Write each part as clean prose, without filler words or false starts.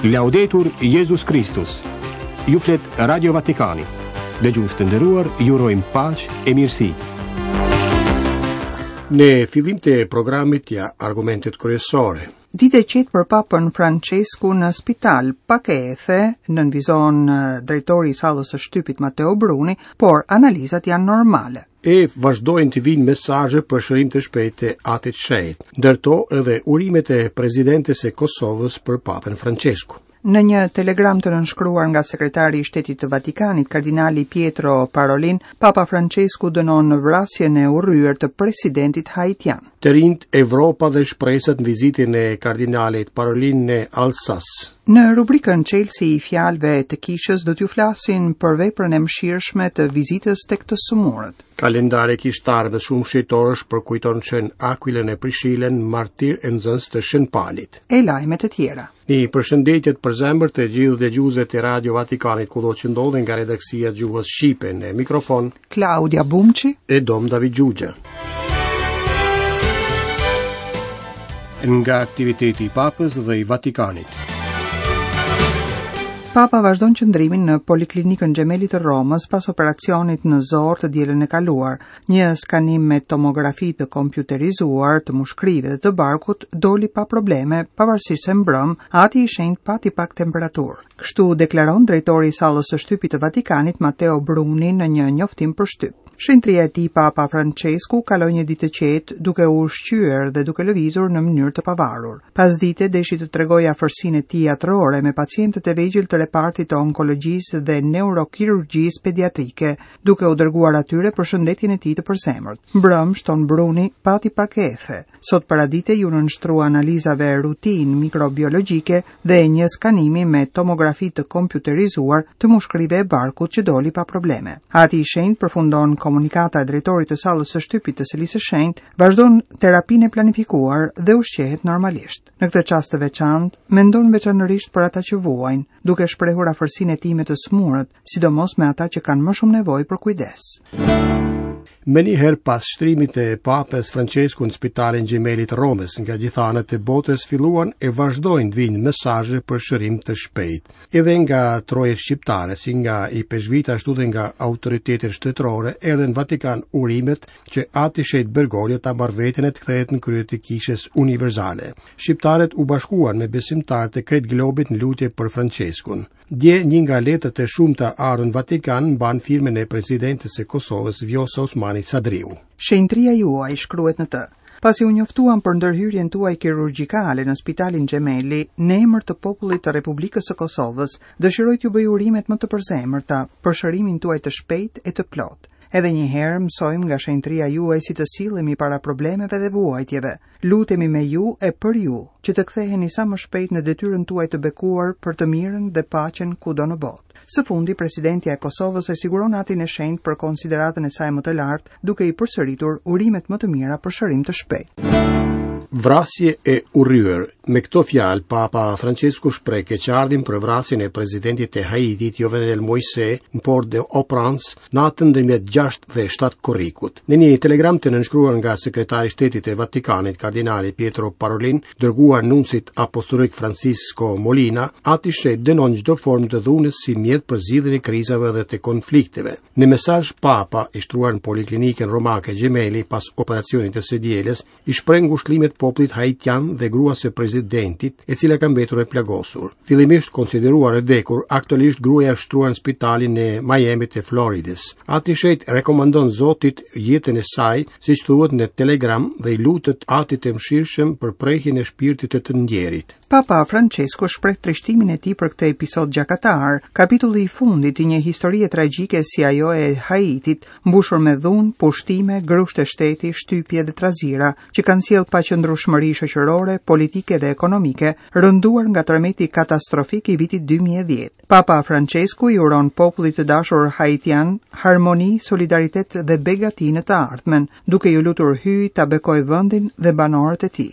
Laudetur Jezus Kristus. Ju flet Radio Vatikani. Dëgjues të nderuar, ju urojmë paqe e mirësi. Në fillim të programit ja argumentet kryesore. Ditë e qetë për Papën Françesku në spital, pak ethe, nënvizon drejtori i sallës së shtypit Matteo Bruni, por analizat janë normale. E vazhdojnë të vijnë mesazhe për shërim të shpejtë të Atit Shenjt, ndër to edhe urimet e presidentes së Kosovës për Papën Françesku. Në një telegram të nënshkruar nga sekretari i Shtetit të Vatikanit, kardinali Pietro Parolin, Papa Françesku dënon vrasjen e urryer të presidentit haitian. Të rinjtë, Evropa dhe shpresat në vizitën e kardinalit Parolin në Alsas. Në rubrikën Çelësi i fjalëve të kishës do t'ju flasin për veprën e mëshirshme të vizitës tek të sëmurët. Kalendari kishtar me shumë shenjtorësh përkujton Shën Akuilën e Prishilën, martirë e nxënës të Shën Palit. E lajme të tjera. Një përshëndetje të përzemërt të gjithë dëgjuesve të Radio Vatikanit kudo që ndodhen nga redaksia e gjuhës shqipe në mikrofon Klaudia Bumçi e Dom David Xhuxha. Nga aktiviteti i Papës dhe i Vatikanit. Papa vazhdon qëndrimin në Poliklinikën Gemelli të Romës pas operacionit në zorrë të dielën e kaluar. Një skanim me tomografi të kompjuterizuar të mushkërive dhe të barkut doli pa probleme, pavarësisht se mbrëmë Ati i Shenjtë pati pak temperaturë. Kështu deklaron drejtori i sallës së shtypit të Vatikanit Matteo Bruni në një njoftim për shtyp. Shenjtëria e tij Papa Françesku kaloi një ditë të qetë duke u ushqyer dhe duke lëvizur në mënyrë të pavarur. Pasdite deshi të tregojë afërsinë e tij atërore me pacientët e vegjël të repartit të onkologjisë dhe neurokirurgjisë pediatrike, duke u dërguar atyre përshëndetjen e tij të përzemërt. Mbrëmë, shton Bruni, pati pak ethe. Sot paradite iu nënshtrua analizave rutinë mikrobiologjike dhe një skanimi me tomografi të kompjuterizuar të mushkërive e barkut që doli pa probleme. Ati i Shenjtë përfundon komunikata e drejtorit të sallës së shtypit të Selisë së Shenjtë, vazhdon terapinë e planifikuar dhe ushqehet normalisht. Në këtë çast të veçantë, mendon veçanërisht për ata që vuajnë, duke shprehur afërsinë e tij me të sëmurët, sidomos me ata që kanë më shumë nevojë për kujdes. Menjëherë pas shtrimit të Papës Françesku në spitalin Gemelli të Romës, nga gjitha anët e botës filluan e vazhdojnë të vijnë mesazhe për shërim të shpejtë. Edhe nga trojet shqiptare, si nga ipeshkvijtë ashtu dhe nga autoritetet shtetërore, erdhën në Vatikan urimet që Ati i Shenjtë Bergoglio ta marrë veten e të kthehet në krye të Kishës Universale. Shqiptarët u bashkuan me besimtarët e krejt globit në lutje për Françeskun. Dje një nga letrat e shumta ardhur në Vatikan mban firmën e presidentes së Kosovës Vjosa Osmani Sadriu. Shenjtëria juaj shkruhet në të. Pasi u njoftuam për ndërhyrjen tuaj kirurgjikale në spitalin Gemelli, në emër të popullit të Republikës së Kosovës, dëshiroj t'ju bëj urimet më të përzemërta për shërimin tuaj të shpejtë e të plotë. Edhe një herë mësojmë nga shenjtëria juaj si të sillemi para problemeve dhe vuajtjeve. Lutemi me ju e për ju, që të ktheheni sa më shpejt në detyrën tuaj të bekuar për të mirën dhe paqen kudo në botë. Së fundi, presidentja e Kosovës e siguron Atin e Shenjtë për konsideratën e saj më të lartë, duke i përsëritur urimet më të mira për shërim të shpejtë. Vrasje e urryer. Me këto fjalë, Papa Françesku shpreh keqardhjen për vrasjen e presidentit të Haitit, Jovenel Moise, në Port-au-Prince, natën ndërmjet 6 dhe 7 korrikut. Në një telegram të nënshkruar nga sekretari i Shtetit të Vatikanit, kardinali Pietro Parolin, dërguar nuncit apostolik Francisco Molina, Ati i Shenjtë dënon çdo formë të dhunës si mjet për zgjidhjen e krizave dhe të konflikteve. Në mesazh Papa, i shtruar në poliklinikën romake Gemelli pas operacionit të së dielës, i shpreh ngushëllimet popullit haitian dhe gruas së presidentit, e cila ka mbetur e plagosur. Fillimisht konsideruar e vdekur, aktualisht gruaja është shtruar në spitalin e Miami të Floridës. Ati i Shenjtë rekomandon Zotit jetën e saj, siç thuhet në telegram dhe i lutet Atit të Mëshirshëm për prehjen e shpirtit të të ndjerit. Papa Françesku shpreh trishtimin e tij për këtë episod gjakatar, kapitulli i fundit i një historie tragjike si ajo e Haitit, mbushur me dhunë, pushtime, grushte shteti, shtypje dhe trazira, që kanë sjellë paqëndrueshmëri shoqërore, politike dhe ekonomike, rënduar nga tërmeti katastrofik i vitit 2010. Papa Françesku i uron popullit të dashur haitian harmoni, solidaritet dhe begati në të ardhmen, duke iu lutur Hyjit ta bekojë vendin dhe banorët e tij.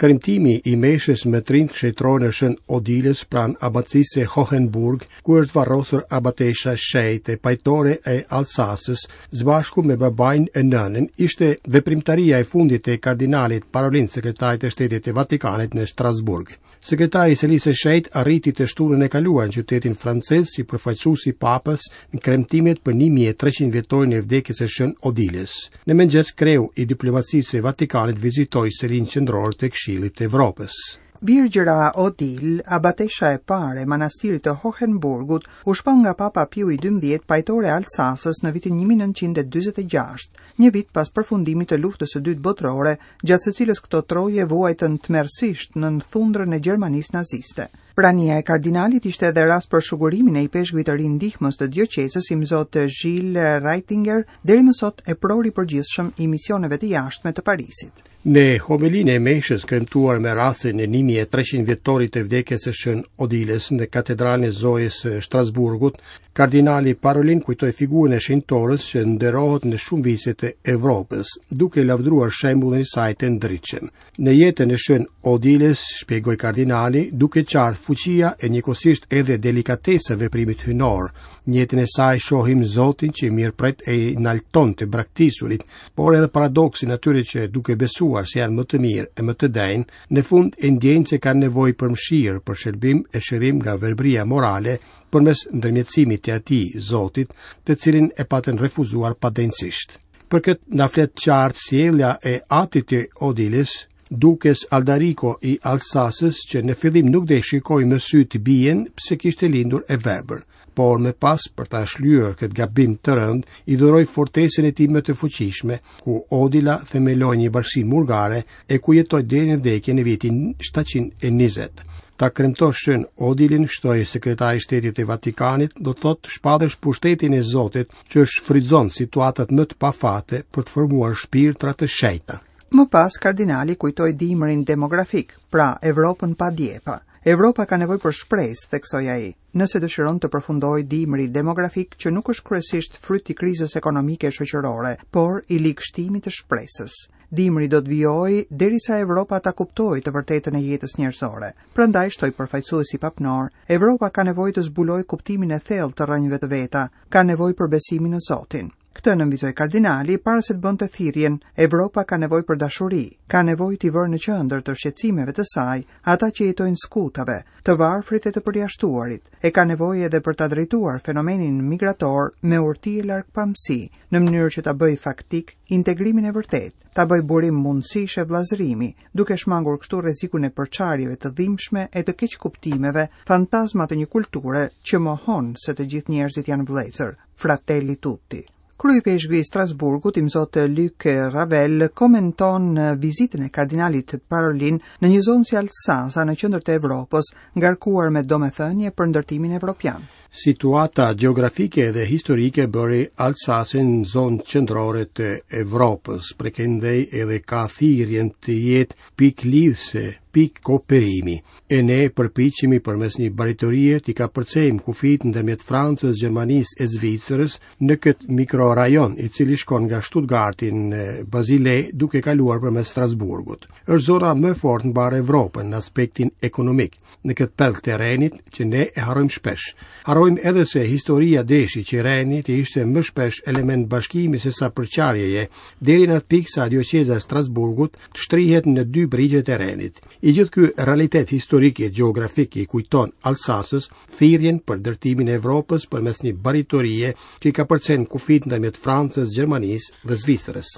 Kremtimi i meshës me trinjtë shenjtërorë e Shën Odilës pranë abacisë së Hohenburg, ku është varrosur abatesha e shenjtë e pajtore e Alsasës, së bashku me babain e nënën, ishte veprimtaria e fundit e kardinalit Parolin, sekretarit të Shtetit të Vatikanit në Strasburg. Sekretari i Selisë së Shenjtë arriti të shtunën e kaluar në qytetin francez si përfaqësues i Papës në kremtimet për 1300 vjetorin e vdekjes së Shën Odilës. Në mëngjes kreu i diplomacisë së Vatikanit vizitoi selinë qendrore të Këshillit të Evropës. Virgjëra Odil, abatesha e parë e manastirit të Hohenburgut, u shpall nga Papa Piu i XII pajtore e Alsasës në vitin 1946, një vit pas përfundimit të Luftës së Dytë Botërore, gjatë së cilës këto troje vuajtën tmerrësisht nën thundrën e Gjermanisë naziste. Prania e kardinalit ishte edhe rast për shugurimin e ipeshkvit të ri ndihmës të dioqezës imzot Gilles Reitinger, deri më sot epror i përgjithshëm i misioneve të jashtme të Parisit. Në homelinë e meshës kremtuar me rastin e 1300 vjetorit të vdekjes së Shën Odilës në katedralen e Zojës së Strasburgut, kardinali Parolin kujtoi figurën e shenjtores që nderohet në shumë vise të Evropës, duke lavdëruar shembullin e saj të ndritshëm. Në jetën e Shën Odilës, shpjegoi kardinali, duket qartë fuqia e njëkohësisht edhe delikatesa e veprimit hyjnor. Në jetën e saj shohim Zotin që mirëpret e i nalton të braktisurit, por edhe paradoksin e atyre që duke besuar se janë më të mirë e më të denjë, në fund e ndjejnë se kanë nevojë për mëshirë, për shëlbim e shërim nga verbëria morale, përmes ndërmjetësimit të atij, Zotit, të cilin e patën refuzuar padenjësisht. Për këtë na flet qartë sjellja e atit të Odilës, dukës Aldariko i Alsasës, që në fillim nuk deshi shikojë me sy të bijën pse kishte lindur e verbër, por më pas për ta shlyer këtë gabim të rëndë, i dhuroi fortesën e tij më të fuqishme, ku Odila themeloi një bashkësi murgare e ku jetoi deri në vdekje në vitin 720. Ta kremtosh Shën Odilën, shtoi sekretari i Shtetit të Vatikanit, do të thotë të shpallësh pushtetin e Zotit që shfrytëzon situatat më të pafate për të formuar shpirtra të shenjtë. Më pas kardinali kujtoi dimrin demografik, pra Evropën pa djepa. Evropa ka nevojë për shpresë, theksoi ai, nëse dëshiron të përfundojë dimri demografik që nuk është kryesisht fryt i krizës ekonomike e shoqërore, por i ligështimit të shpresës. Dimri do të vijojë derisa Evropa ta kuptojë të vërtetën e jetës njerëzore. Prandaj shtoi përfaqësuesi papnor, Evropa ka nevojë të zbulojë kuptimin e thellë të rrënjëve të veta, ka nevojë për besimin në Zotin. Këtë nënvizoi kardinali para se të bënte thirrjen, Evropa ka nevojë për dashuri, ka nevojë t'i vërë në qendër të shqetësimeve të saj ata që jetojnë skutave, të varfrit e të përjashtuarit, e ka nevojë edhe për ta drejtuar fenomenin migrator me urti e largpamësi, në mënyrë që ta bëjë faktik integrimin e vërtetë, ta bëjë burim mundësish e vëllazërimi, duke shmangur kështu rrezikun e përçarjeve të dhimbshme e të keqkuptimeve, fantazma të një kulture që mohon se të gjithë njerëzit janë vëllezër. Fratelli Tutti. Kryeipeshkvi i Strasburgut, imzot Luc Ravel, komenton vizitën e kardinalit Parolin në një zonë si Alsasa në qendër të Evropës, ngarkuar me domethënie për ndërtimin evropian. Situata gjeografike dhe historike bëri Alsasën zonë qendrore të Evropës, prej këndej edhe ka thirrjen të jetë pikë lidhëse, pikë kooperimi. E ne përpiqemi përmes një baritorie t'i kapërcejmë kufijtë ndërmjet Francës, Gjermanisë e Zvicrës në këtë mikrorajon, i cili shkon nga Stuttgarti në Bazile duke kaluar përmes Strasburgut. Është zona më e fortë në mbarë Evropën në aspektin ekonomik, në këtë pellg të Renit që ne e harrojmë shpesh. Harrojmë edhe se historia deshi që Reni të ishte më shpesh element bashkimi sesa përçarjeje, deri në atë pikë sa dioqeza e Strasburgut të shtrihet në dy brigjet e Renit. I gjithë ky realitet historik e gjeografik i kujton Alsasës thirrjen për ndërtimin e Evropës përmes një baritorie që i kapërcen kufijtë ndërmjet Francës, Gjermanisë dhe Zvicrës.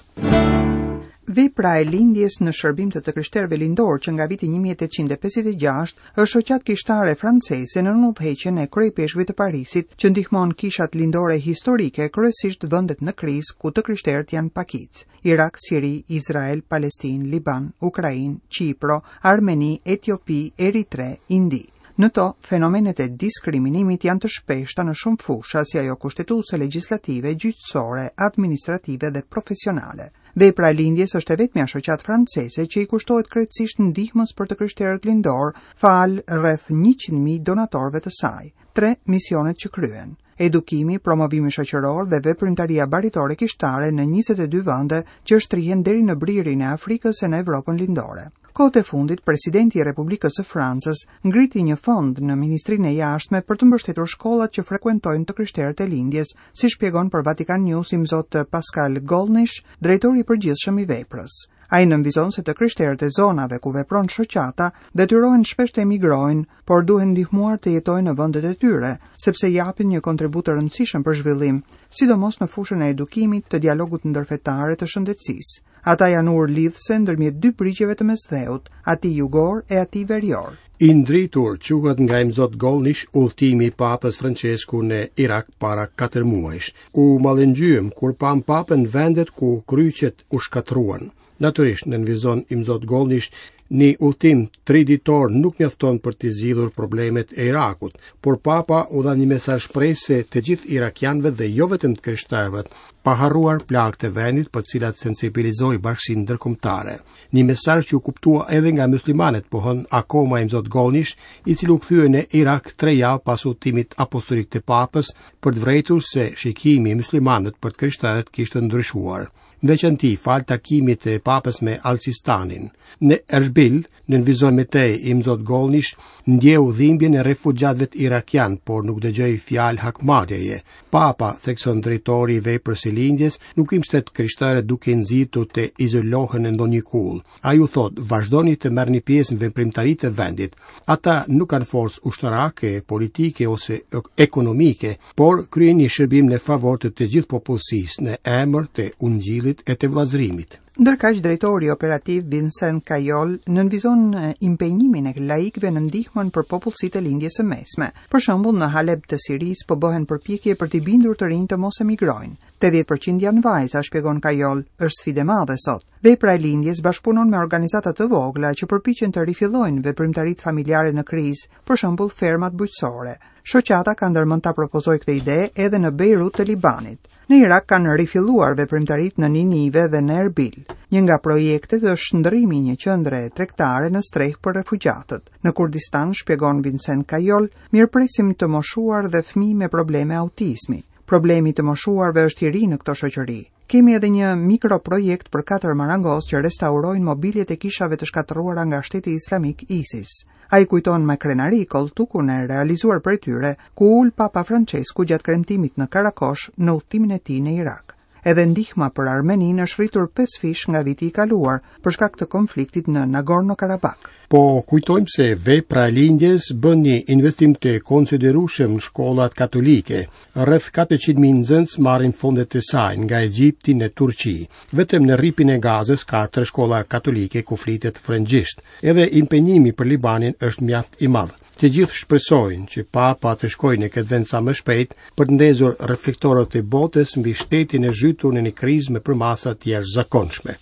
Vepra e Lindjes në shërbim të të krishterëve lindorë që nga viti 1856 është shoqatë kishtare franceze nën udhëheqjen e kryeipeshkvit të Parisit që ndihmon kishat lindore historike, kryesisht vendet në krizë ku të krishterët janë pakicë. Irak, Siri, Izrael, Palestinë, Liban, Ukrainë, Qipro, Armeni, Etiopi, Eritre, Indi. Në to, fenomenet e diskriminimit janë të shpeshta në shumë fusha, si ajo kushtetuese, legjislative, gjyqësore, administrative dhe profesionale. Vepra e Lindjes është e vetmja shoqatë franceze që i kushtohet krejtësisht ndihmës për të krishterët lindorë, falë rreth 100.000 donatorëve të saj. Tre misionet që kryen edukimi, promovimi shoqëror dhe veprimtaria baritore kishtare në 22 vende që shtrihen deri në bririn e Afrikës e në Evropën Lindore. Kohët e fundit, presidenti i Republikës së Francës ngriti një fond në Ministrinë e Jashtme për të mbështetur shkollat që frekuentojnë të krishterët e lindjes, si shpjegon për Vatican News imzot Pascal Gollnisch, drejtori i përgjithshëm i veprës. Ai nënvizon se të krishterët e zonave ku vepron shoqata detyrohen shpesh të emigrojnë, por duhen ndihmuar të jetojnë në vendet e tyre, sepse japin një kontribut të rëndësishëm për zhvillim, sidomos në fushën e edukimit, të dialogut ndërfetar e të shëndetësisë. Ata janë urë lidhëse ndërmjet dy brigjeve të Mesdheut, atij jugor e atij verior. I ndritur quhet nga Imzot Gollnish udhëtimi i Papës Françesku në Irak para 4 muajsh. U mallëngjyem kur pamë Papën në vendet ku kryqet u shkatërruan. Natyrisht, nënvizon Imzot Gollnish, një udhëtim triditor nuk mjafton për të zgjidhur problemet e Irakut, por Papa u dha një mesazh shprese të gjithë irakianëve dhe jo vetëm të krishterëve, pa harruar plagët e vendit për të cilat sensibilizoi bashkësinë ndërkombëtare. Një mesazh që u kuptua edhe nga muslimanët, pohon akoma Imzot Gollnish, i cili u kthye në Irak tre javë pas udhëtimit apostolik të Papës për të vërejtur se shikimi i muslimanëve për të krishterët kishte ndryshuar. Në veçanti, falë takimit të Papës me Al-Sistanin. Në Erbil, nënvizon më tej Imzot Gollnish, ndjeu dhimbjen e refugjatëve irakianë, por nuk dëgjoi fjalë hakmarrjeje. Papa, thekson drejtori i veprës së lindjes, nuk i mbështet të krishterët duke i nxitur të izolohen në ndonjë kullë. Ai u thotë, vazhdoni të merrni pjesë në veprimtaritë e vendit. Ata nuk kanë forcë ushtarake, politike ose ekonomike, por kryejnë një shërbim në favor të të gjithë popullsisë, në emër të ungjillit e të vëllazërimit. Ndërkaq drejtori operativ Vincent Cayol nënvizon impenjimin e laikëve në ndihmën për popullsitë e Lindjes së Mesme. Për shembull, në Haleb të Sirisë po bëhen përpjekje për t'i bindur të rinjtë të mos emigrojnë. 80% janë vajza, shpjegon Cayol, është sfidë e madhe sot. Vepra e Lindjes bashkëpunon me organizata të vogla që përpiqen të rifillojnë veprimtaritë familjare në krizë, për shembull fermat bujqësore. Shoqata ka ndërmend ta propozojë këtë ide edhe në Bejrut të Libanit. Në Irak kanë rifilluar veprimtaritë në Ninive dhe në Erbil. Një nga projektet është shndërrimi i një qendre tregtare në strehë për refugjatët. Në Kurdistan, shpjegon Vincent Cayol, mirëpresim të moshuar dhe fëmijë me probleme autizmi. Problemi i të moshuarve është i ri në këto shoqëri. Kemi edhe një mikroprojekt për katër marangozë që restaurojnë mobiljet e kishave të shkatërruara nga shteti islamik ISIS. Ai kujton me krenari kolltukun e realizuar prej tyre, ku u ul Papa Françesku gjatë kremtimit në Karakosh në udhëtimin e tij në Irak. Edhe ndihma për Armeninë është rritur pesëfish nga viti i kaluar, për shkak të konfliktit në Nagorno-Karabakh. Po kujtojmë se vepra e lindjes bën një investim të konsiderueshëm në shkollat katolike. Rreth 400.000 nxënës marrin fondet e saj nga Egjipti në Turqi. Vetëm në Rripin e Gazës ka tre shkolla katolike ku flitet frëngjisht. Edhe impenjimi për Libanin është mjaft i madh. Të gjithë shpresojnë që Papa të shkojë në këtë vend sa më shpejt për të ndezur reflektorët e botës mbi shtetin e zhytur në një krizë me përmasa të jashtëzakonshme.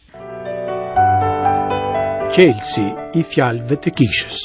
Çelësi i fjalëve të kishës.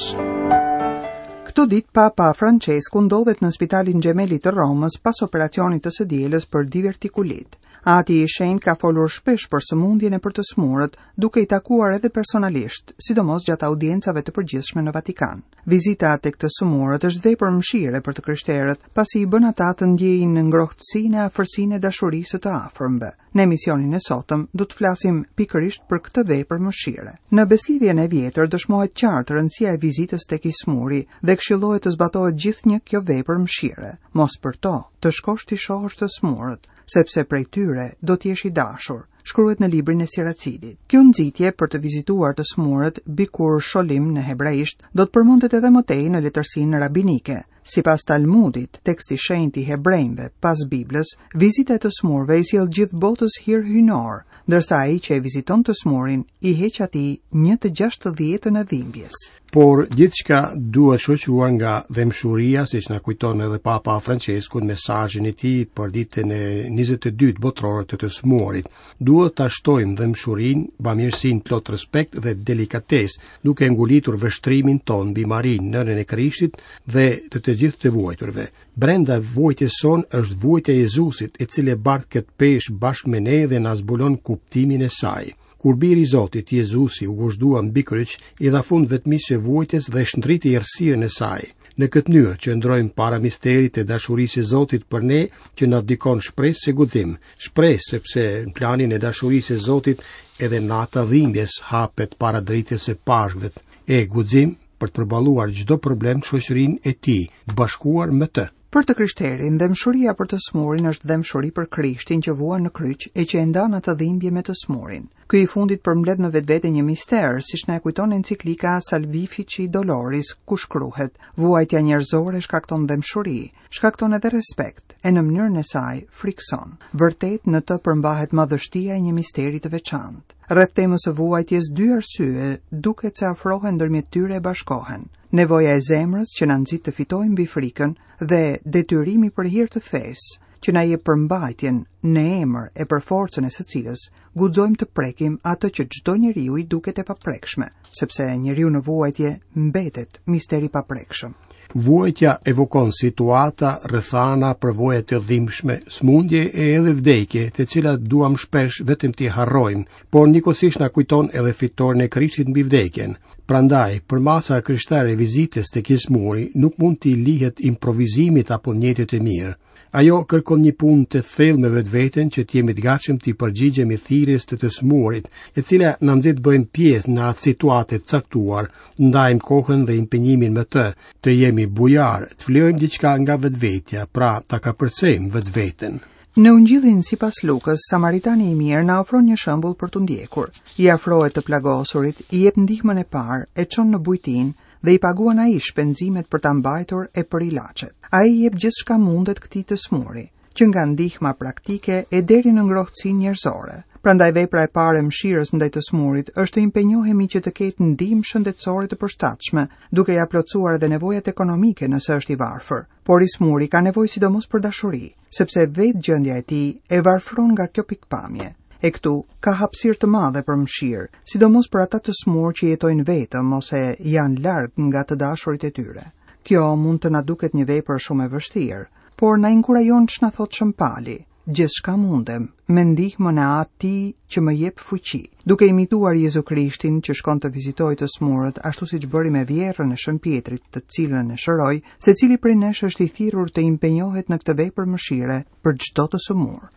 Këto ditë Papa Francesku ndodhet në spitalin Gemelli të Romës pas operacionit të së dielës për divertikulit. Ati i Shenjtë ka folur shpesh për sëmundjen e për të sëmurët, duke i takuar edhe personalisht, sidomos gjatë audiencave të përgjithshme në Vatikan. Vizita tek të sëmurët është vepër mëshire për të krishterët, pasi i bën ata të ndjejnë ngrohtësinë e afërsinë e dashurisë së të afërmve. Në emisionin e sotëm do të flasim pikërisht për këtë vepër mëshire. Në Besëlidhjen e Vjetër dëshmohet qartë rëndësia e vizitës tek i sëmuri dhe këshillohet të zbatohet gjithnjë kjo vepër mëshire. Mos përto, të shkosh t'i shohësh të sëmurët, sepse prej tyre do të jesh i dashur. shkruhet në librin e Siracidit. Kjo nxitje për të vizituar të sëmurët, bikur sholim në hebraisht, do të përmendet edhe më tej në letërsinë rabinike. Sipas Talmudit, tekst i shenjtë i hebrenjve pas Biblës, vizita e të sëmurëve i sjell gjithë botës hir hyjnor, ndërsa ai që e viziton të sëmurin i heq atij një të gjashtëdhjetën e dhimbjes. Por gjithçka duhet shoqëruar nga dhembshuria, siç na kujton edhe Papa Francesku në mesazhin e tij për ditën e 22 botërore të të sëmurit. Duhet ta shtojmë dhembshurinë, bamirësinë plot respekt dhe delikatesë, duke ngulitur vështrimin tonë mbi Marinë, nënën e Krishtit dhe të të gjithë të vuajturve. Brenda vuajtjes sonë është vuajtja e Jezusit, i cili e bart këtë peshë bashkë me ne dhe na zbulon kuptimin e saj. Kur biri i Zotit, Jezusi, u gozhdua mbi kryq, i dha fund vetmisë së vuajtjes dhe shndriti errësirën e saj. Në këtë mënyrë qëndrojmë para misterit të dashurisë së Zotit për ne që na dikton shpresë e guxim. Shpresë sepse në planin e dashurisë së Zotit edhe nata e dhimbjes hapet para dritës së Pashkëve e guxim për të përballuar çdo problem në shoqërinë e tij, të bashkuar me të. Për të krishterin, dhembshuria për të smurin është dhembshuri për Krishtin që vuan në kryq e që e ndan atë dhimbje me të smurin. Ky i fundit përmbledh në vetvete një mister, siç na e kujton enciklika Salvifici Doloris, ku shkruhet: Vuajtja njerëzore shkakton dhembshuri, shkakton edhe respekt, e në mënyrën e saj frikëson. Vërtet në të përmbahet madhështia e një misteri të veçantë. Rreth temës së vuajtjes dy arsye duket se afrohen ndërmjet tyre e bashkohen. Nevoja e zemrës që na nxit të fitojmë mbi frikën dhe detyrimi për hir të fesë, që na jep përmbajtjen në emër e për forcën e së cilës guxojmë të prekim atë që çdo njeriu i duket e paprekshme, sepse njeriu në vuajtje mbetet mister i paprekshëm. Vuajtja evokon situata, rrethana, përvoja të dhimbshme, sëmundje e edhe vdekje, të cilat duam shpesh vetëm t'i harrojmë, por njëkohësisht na kujton edhe fitoren e Krishtit mbi vdekjen. Prandaj, përmasa e krishterë e vizitës tek i sëmuri nuk mund t'i lihet improvizimit apo nijetit të mirë. Ajo kërkon një punë të thellë me vetveten që të jemi të gatshëm t'i përgjigjemi thirrjes të të sëmurit, e cila na nxit të bëjmë pjesë në atë situatë të caktuar, ndajmë kohën dhe impenjimin me të, të jemi bujarë, të flijojmë diçka nga vetvetja, pra ta kapërcejmë vetveten. Në Ungjillin sipas Lukës, Samaritani i mirë na ofron një shembull për t'u ndjekur. I afrohet të plagosurit, i jep ndihmën e parë, e çon në bujtinë dhe i paguan ai shpenzimet për ta mbajtur e për ilaçet. Ai i jep gjithçka mundet këtij të smuri, që nga ndihma praktike e deri në ngrohtësinë njerëzore. Prandaj vepra e parë e mëshirës ndaj të smurit është të impenjohemi që të ketë ndihmë shëndetësore të përshtatshme, duke ia plotësuar edhe nevojat ekonomike nëse është i varfër. Por i smuri ka nevojë sidomos për dashuri, sepse vetë gjendja e tij e varfëron nga kjo pikëpamje. E këtu ka hapësirë të madhe për mëshirë, sidomos për ata të smurë që jetojnë vetëm ose janë larg nga të dashurit e tyre. Kjo mund të na duket një vepër shumë e vështirë, por na inkurajon ç'na thotë Shën Pali. Gjithçka mundem, me ndihmën e atij që më jep fuqi. Duke imituar Jezu Krishtin që shkon të vizitojë të smurët, ashtu siç bëri me vjehrrën e Shën Pjetrit, të cilën e shëroi, secili prej nesh është i thirrur të impenjohet në këtë vepër mëshire për çdo të sëmurë.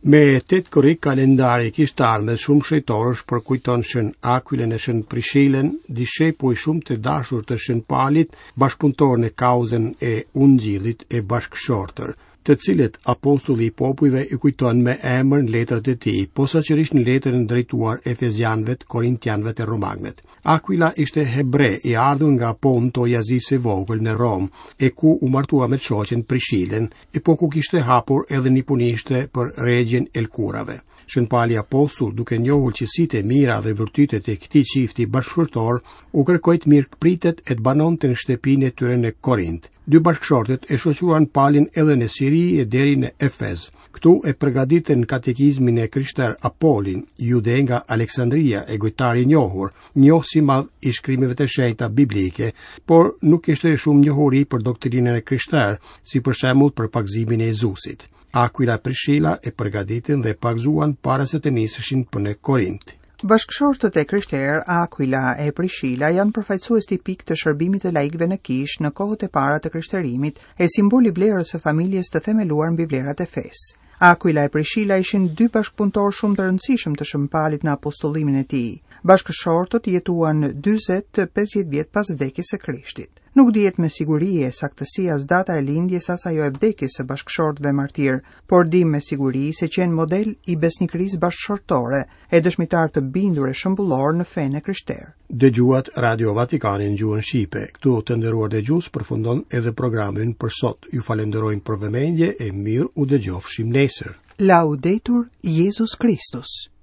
Me 8 korrik kalendari kishtar mes shumë shenjtorësh përkujton Shën Akuilën e Shën Prishilën, dishepuj shumë të dashur të Shën Palit, bashkëpunëtorë në kauzën e Ungjillit e bashkëshortër, të cilët apostulli i popujve i kujton me emër në letrat e tij, posaçërisht në letrën drejtuar Efezianëve, Korintianëve e Romakëve. Akuila ishte hebre i ardhur nga Ponto i Azisë së Vogël në Romë, e ku u martua me shoqen Prishilën, e po ku kishte hapur edhe një punishte për regjien e lëkurave. Shën Pali Apostull, duke njohur cilësitë e mira dhe virtytet e këtij çifti bashkëshortor, u kërkoi të mirëpritet e të banonte në shtëpinë e tyre në Korint. Dy bashkëshortët e shoqëruan Palin edhe në Siri e deri në Efez. Këtu e përgatitën katekizmin e krishterë Apolin, jude nga Aleksandria e gojëtar i njohur, njohës i madh i shkrimeve të shenjta biblike, por nuk kishte shumë njohuri për doktrinën e krishterë, si për shembull për pagëzimin e Jezusit. Akuila e Prishila e përgatitën dhe pagëzuan para se të niseshin për në Korint. Bashkëshortët e krishterë, Akuila e Prishila, janë përfaqësues tipikë të shërbimit të laikëve në kishë në kohët e para të krishterimit e simbol i vlerës së familjes të themeluar mbi vlerat e fesë. Akuila e Prishila ishin dy bashkëpunëtorë shumë të rëndësishëm të Shën Palit në apostullimin e tij. Bashkëshortët jetuan 40-50 vjet pas vdekjes së Krishtit. Nuk dihet me siguri e saktësi as data e lindjes as ajo e vdekjes së bashkëshortëve martirë, por dimë me siguri se qenë model i besnikërisë bashkëshortore e dëshmitarë të bindur e shembullorë në fenë e krishterë. Dëgjuat Radio Vatikanin në gjuhën shqipe. Këtu të nderuar dëgjues përfundon edhe programi ynë për sot. Ju falenderojmë për vëmendje e mirë u dëgjofshim nesër. Laudetur Jezus Kristus.